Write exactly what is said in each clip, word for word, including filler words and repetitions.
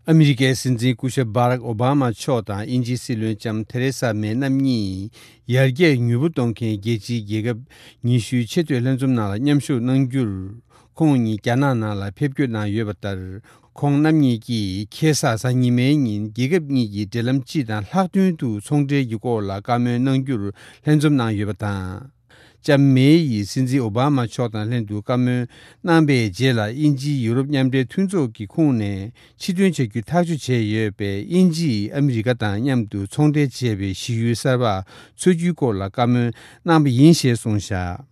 ཨ་མི་རི་ཀའི་སྲིད་འཛིན་སྐུ་ཞབས་བྷ་རག་ཨོ་བྷ་མ་མཆོག་དང་དབྱིན་ཇིའི་སྲིད་བློན་ལྕམ་ཐེ་རེ་ས་མེ་རྣམ་གཉིས་ཡར་རྒྱས་མྱུར་པོ་གཏོང་མཁན་རྒྱལ་སྤྱིའི་རྒྱལ་ཁབ་ཉི་ཤུའི་ཆེས་མཐོའི་ལྷན་འཛོམས་ནང་ལ་མཉམ་ཞུགས་གནང་རྒྱུར། ཁོང་གཉིས་རྒྱ་ནག་ནང་ལ་ཕེབས་སྐྱོད་གནང་ཡོད་པ་ལྟར། ཁོང་རྣམ་གཉིས་ཀྱིས་ཁ་སང་གཟའ་ཉི་མའི་ཉིན་རྒྱལ་ཁབ་གཉིས་ཀྱི་འབྲེལ་ལམ་སྤྱི་དང་ལྷག་དོན་དུ་ཚོང་འབྲེལ་གྱི་སྐོར་ལ་བཀའ་མོལ་གནང་རྒྱུར་ལྷན་འཛོམས་གནང་ཡོད་པ་དང་། ལྕམ་མེ་ཡིས་སྲིད་འཛིན་ཨོ་བྷ་མ་མཆོག་དང་ལྷན་དུ་བཀའ་མོལ་གནང་པའི་རྗེས་ལ། དབྱིན་ཇིའི་ཡུ་རོབ་མཉམ་འབྲེལ་མཐུན་ཚོགས་ཀྱི་ཁོངས་ནས་ཕྱིར་ཐོན་བྱ་རྒྱུ་ཐག་གཅོད་བྱས་ཡོད་པས། དབྱིན་ཇིས་ཨ་མི་རི་ཀ་དང་མཉམ་དུ་ཚོང་འབྲེལ་བྱེད་པའི་གཞི་ཡུལ་གསར་པ་འཚོལ་རྒྱུའི་སྐོར་ལ་བཀའ་མོལ་གནང་པ་ཡིན་ཞེས་གསུངས་བཞག་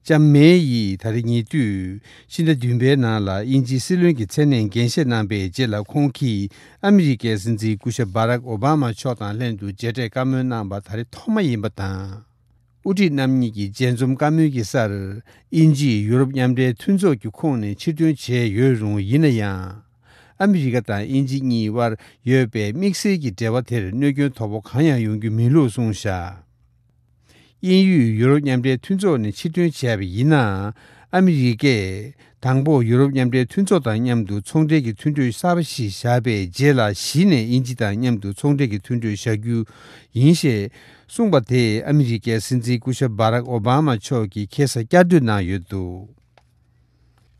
ལྕམ་མེ་ཡིས་ད་རེས་ཉེ་དུས་ཕྱི་ཟླ་བདུན་པའི་ནང་ལ་དབྱིན་ཇིའི་སྲིད་བློན་གྱི་མཚན་གནས་འགན་བཞེས་གནང་པའི་རྗེས་ལ། ཁོང་གིས་ཨ་མི་རི་ཀའི་སྲིད་འཛིན་སྐུ་ཞབས་བྷ་རག་ཨོ་བྷ་མ་མཆོག་དང་ལྷན་དུ་མཇལ་འཕྲད་བཀའ་མོལ་གནང་པ་ད་རེས་ཐོག་མ་ཡིན་པ་དང་། དབུ་ཁྲིད་རྣམ་གཉིས་ཀྱི་མཇལ་འཛོམས་བཀའ་མོལ་གྱི་སར། དབྱིན་ཇིས་ཡུ་རོབ་མཉམ་འབྲེལ་མཐུན་ཚོགས་ཀྱི་ཁོངས་ནས་ཕྱིར་ཐོན་བྱས་ཡོད་རུང་། ཡིན་ན་ཡང་། ཨ་མི་རི་ཀ་དང་དབྱིན་ཇི་གཉིས་དབར་ཡོད་པའི་དམིགས་བསལ་གྱི་འབྲེལ་བ་དེར་གནོད་སྐྱོན་དོ་ཕོག་གང་ཡང་ཡོང་རྒྱུ་མིན་ལུགས་གསུངས་བཞག་དབྱིན་ཡུལ་ཡུ་རོབ་མཉམ་འབྲེལ་མཐུན་ཚོགས་ནས་ཕྱིར་ཐོན་བྱས་པ་ཡིན་ན། ཨ་མི་རི་ཀས་དང་པོ་ཡུ་རོབ་མཉམ་འབྲེལ་མཐུན་ཚོགས་དང་མཉམ་དུ་ཚོང་འབྲེལ་གྱི་མཐུན་གྲོས་གསར་པ་ཞིག་བཞག་པའི་རྗེས་ལ། གཞི་ནས་དབྱིན་ཇི་དང་མཉམ་དུ་ཚོང་འབྲེལ་གྱི་མཐུན་གྲོས་བཞག་རྒྱུ་ཡིན་ཞེས་གསུངས་པ་དེ། ཨ་མི་རི་ཀའི་སྲིད་འཛིན་སྐུ་ཞབས་བྷ་རག་ཨོ་བྷ་མ་མཆོག་གིས་ཁ་སང་བསྐྱར་ཟློས་གནང་ཡོད་འདུག་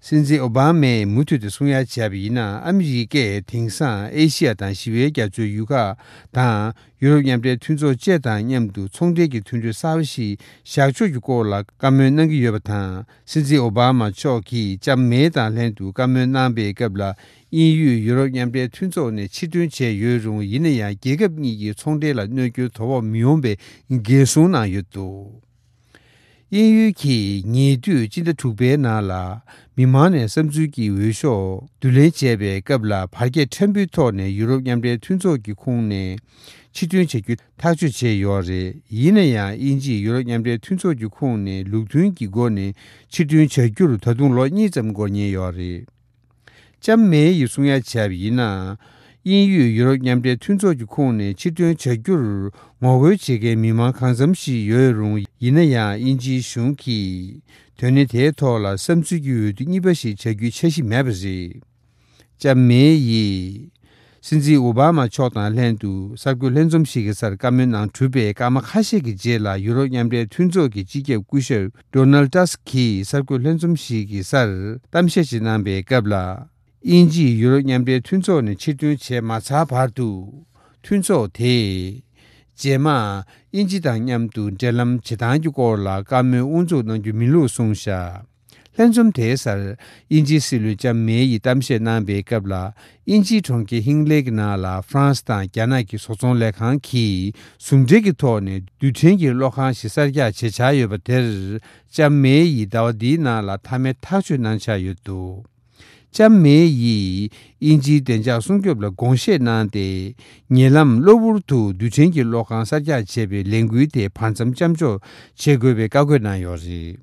སྲིད་འཛིན་ཨོ་བྷ་མས་མུ་མཐུད་དུ་གསུང་ཡ་བྱས་པ་ཡིན་ན། ཨ་མི་རི་ཀས་དེང་སང་ཨེ་ཤི་ཡ་དང་ཞི་བའི་རྒྱ་མཚོའི་ཡུལ་ཁག་དང་། ཡུ་རོབ་མཉམ་འབྲེལ་མཐུན་ཚོགས་བཅས་དང་མཉམ་དུ་ཚོང་འབྲེལ་གྱི་མཐུན་གྲོས་གསར་པ་ཞིག་བཞག་ཕྱོགས་ཀྱི་སྐོར་ལ་བཀའ་མོལ་གནང་གི་ཡོད་པ་དང་། སྲིད་འཛིན་ཨོ་བྷ་མ་མཆོག་གིས་ལྕམ་མེ་དང་ལྷན་དུ་བཀའ་མོལ་གནང་པའི་སྐབས་ལ། དབྱིན་ཡུལ་ཡུ་རོབ་མཉམ་འབྲེལ་མཐུན་ཚོགས་ནས་ཕྱིར་ཐོན་བྱས་ཡོད་རུང་། ཡིན་ན་ཡང་རྒྱལ་ཁབ་གཉིས་ཀྱི་ཚོང་འབྲེལ་ལ་གནོད་སྐྱོན་དོ་ཕོག་མི་ཡོང་པའི་འགན་སྲུང་གནང་ཡོད་འདུག་དབྱིན་ཡུལ་གྱིས་ཉེ་དུས་སྤྱི་ཟླ་དྲུག་པའི་ནང་ལ། མི་མང་ནས་བསམ་ཚུལ་གྱི་འོས་ཤོག་བསྡུ་ལེན་བྱས་པའི་སྐབས་ལ། བར་ཁྱད་ཕྲན་བུའི་ཐོག་ནས་ཡུ་རོབ་མཉམ་འབྲེལ་མཐུན་ཚོགས་ཀྱི་ཁོངས་ནས་ཕྱིར་ཐོན་བྱ་རྒྱུ་ཐག་གཅོད་བྱས་ཡོད་རེད། ཡིན་ན་ཡང་། དབྱིན་ཇིས་ཡུ་རོབ་མཉམ་འབྲེལ་མཐུན་ཚོགས་ཀྱི་ཁོངས་ནས་ལུགས་མཐུན་གྱི་སྒོ་ནས་ཕྱིར་ཐོན་བྱ་རྒྱུར་ད་དུང་ལོ་གཉིས་ཙམ་འགོར་ཉེན་ཡོད་རེད། ལྕམ་མེ་ཡིས་གསུང་ཡ་བྱས་པ་ཡིན་ན། དབྱིན་ཡུལ་ཡུ་རོབ་མཉམ་འབྲེལ་མཐུན་ཚོགས་ཀྱི་ཁོངས་ནས་ཕྱིར་ཐོན་བྱ་རྒྱུར་ངོ་རྒོལ་བྱེད་མཁན་མི་མང་གང་འཚམ་ཞིག་ཡོད་རུང་། ཡིན་ན་ཡང་། དབྱིན་ཇིའི་གཞུང་གིས་དོན་གནད་དེའི་ཐོག་ལ་བསམ་ཚུལ་གྱི་འོས་བསྡུ་གཉིས་པ་ཞིག་བྱ་རྒྱུའི་འཆར་གཞི་མེད་པ་རེད། ལྕམ་མེ་ཡིས་སྲིད་འཛིན་ཨོ་བྷ་མ་མཆོག་དང་ལྷན་དུ་གསར་འགོད་ལྷན་འཛོམས་ཤིག་གི་སར་བཀའ་མོལ་གནང་གྲུབ་པའི་སྐར་མ་ཁ་ཤས་ཀྱི་རྗེས་ལ། ཡུ་རོབ་མཉམ་འབྲེལ་མཐུན་ཚོགས་ཀྱི་སྤྱི་ཁྱབ་སྐུ་ཞབས་ཌོ་ནལ་ཏཱ་སི་ཀིས་གསར་འགོད་ལྷན་འཛོམས་ཤིག་གི་སར་གཏམ་བཤད་ཅིག་གནང་པའི་སྐབས་ལ། དབྱིན་ཇིས་ཡུ་རོབ་མཉམ་འབྲེལ་མཐུན་ཚོགས་ནས་ཕྱིར་ཐོན་བྱས་མ་ཚར་བར་དུ། མཐུན་ཚོགས་དེས་རྗེས་མ་དབྱིན་ཇི་དང་མཉམ་དུ་འབྲེལ་ལམ་བྱེད་སྟངས་ཀྱི་སྐོར་ལ་བཀའ་མོལ་དབུ་འཛུགས་གནང་རྒྱུ་མིན་ལུགས་གསུངས་བཞག་ལྷན་འཛོམས་དེའི་སར་དབྱིན་ཇིའི་སྲིད་བློན་ལྕམ་མེ་ཡིས་གཏམ་བཤད་གནང་པའི་སྐབས་ལ། དབྱིན་ཇིའི་གྲོང་ཁྱེར་ཧིང་ལེ་གི་ནང་ལ་ཧྥ་རན་སི་དང་རྒྱ་ནག་གི་བཟོ་ཚོང་ལས་ཁང་གིས་ཟུང་འབྲེལ་གྱི་ཐོག་ནས་རྡུལ་ཕྲན་གྱི་གློག་ཁང་ཞིག་གསར་རྒྱག་བྱེད་འཆར་ཡོད་པ་དེར། ལྕམ་མེ་ཡིས་ཟླ་བ་འདིའི་ནང་ལ་མཐའ་མའི་ཐག་གཅོད་གནང་འཆར་ཡོད་འདུག་ལྕམ་མེ་ཡིས་དབྱིན་ཇིའི་བདེ་འཇགས་སྲུང་སྐྱོབ་ལ་དགོངས་བཞེས་གནང་སྟེ། ཉེ་ལམ་གློ་བུར་དུ་རྡུལ་ཕྲན་གྱི་གློག་ཁང་གསར་རྒྱག་བྱེད་པའི་ལས་འགུལ་དེ་བར་མཚམས་མཚམས་འཇོག་བྱེད་དགོས་པའི་བཀའ་བཀོད་གནང་ཡོད་རེད།